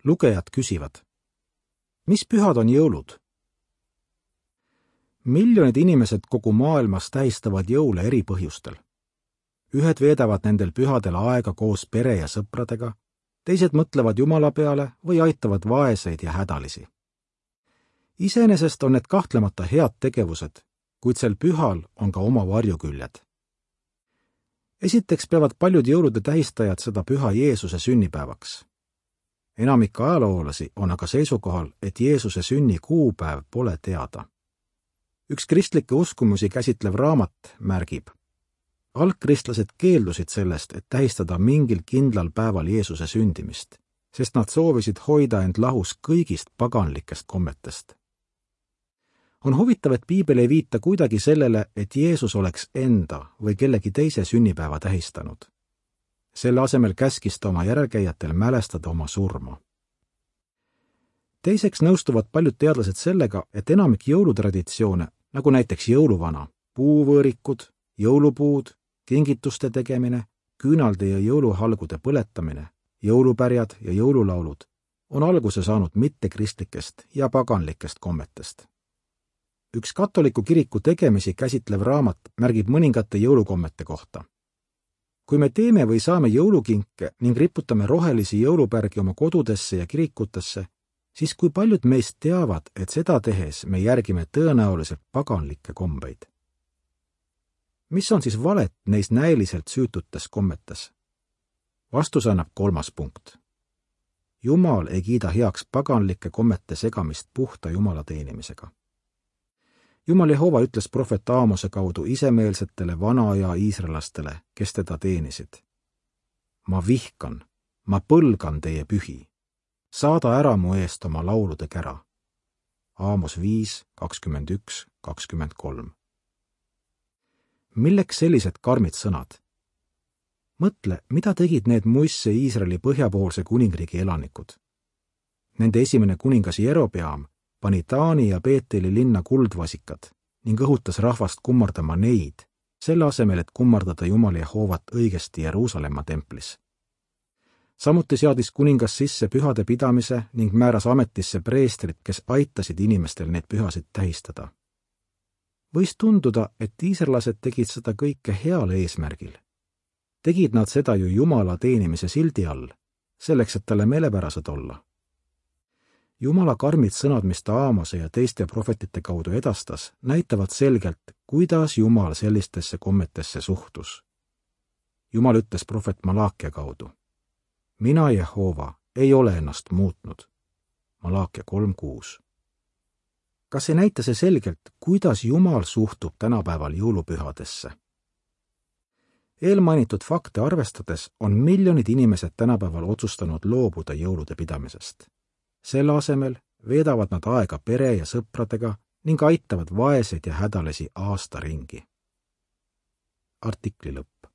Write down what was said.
Lugejad küsivad: mis pühad on jõulud? Miljonid inimesed kogu maailmas tähistavad jõule eri põhjustel. Ühed veedavad nendel pühadel aega koos pere ja sõpradega, teised mõtlevad Jumala peale või aitavad vaeseid ja hädalisi. Iseenesest on need kahtlemata head tegevused, kuid sel pühal on ka oma varjuküljed. Esiteks peavad paljud jõulude tähistajad seda püha Jeesuse sünnipäevaks. Enamik ajaloolasi on aga seisukohal, et Jeesuse sünni kuupäev pole teada. Üks kristlikke uskumusi käsitlev raamat märgib: algkristlased keeldusid sellest, et tähistada mingil kindlal päeval Jeesuse sündimist, sest nad soovisid hoida end lahus kõigist paganlikest kommetest. On huvitav, et piibel ei viita kuidagi sellele, et Jeesus oleks enda või kellegi teise sünnipäeva tähistanud. Selle asemel käskis ta oma järelkäijatel mälestada oma surma. Teiseks nõustuvad paljud teadlased sellega, et enamik jõulutraditsioone, nagu näiteks jõuluvana, puuvõõrikud, jõulupuud, kingituste tegemine, küünalde ja jõuluhalgude põletamine, jõulupärjad ja jõululaulud on alguse saanud mittekristlikest ja paganlikest kommetest. Üks katoliku kiriku tegemisi käsitlev raamat märgib mõningate jõulukommete kohta. Kui me teeme või saame jõulukinke ning riputame rohelisi jõulupärgi oma kodudesse ja kirikutesse, siis kui paljud meist teavad, et seda tehes me järgime tõenäoliselt paganlikke kombeid. Mis on siis valet neis näiliselt süütutes kommetes? Vastus annab 3. punkt. Jumal ei kiida heaks paganlike kommete segamist puhta Jumala teenimisega. Jumal Jehova ütles prohvet Aamose kaudu isemeelsetele vana-aja iisraellastele, kes teda teenisid: ma vihkan, ma põlgan teie pühi. Saada ära mu eest oma laulude kära. Aamos 5, 21, 23. Milleks sellised karmid sõnad? Mõtle, mida tegid need muisse Iisraeli põhjapoolse kuningriigi elanikud. Nende esimene kuningas Jerobeam pani Taani ja Beeteli linna kuldvasikad ning õhutas rahvast kummardama neid, selle asemel, et kummardada Jumal Jehovat õigesti Jeruusalemma templis. Samuti seadis kuningas sisse pühade pidamise ning määras ametisse preestrid, kes aitasid inimestel neid pühasid tähistada. Võis tunduda, et iisraelased tegid seda kõike heal eesmärgil. Tegid nad seda ju Jumala teenimise sildi all, selleks, et talle meelepärased olla. Jumala karmid sõnad, mis ta Aamose ja teiste prohvetite kaudu edastas, näitavad selgelt, kuidas Jumal sellistesse kommetesse suhtus. Jumal ütles prohvet Malaakia kaudu: mina, Jehova, ei ole ennast muutnud. Malaakia 3.6. Kas ei näita see selgelt, kuidas Jumal suhtub tänapäeval jõulupühadesse? Eelmainitud fakte arvestades on miljonid inimesed tänapäeval otsustanud loobuda jõulude pidamisest. Selle asemel veedavad nad aega pere ja sõpradega ning aitavad vaeseid ja hädalisi aasta ringi. Artikli lõpp.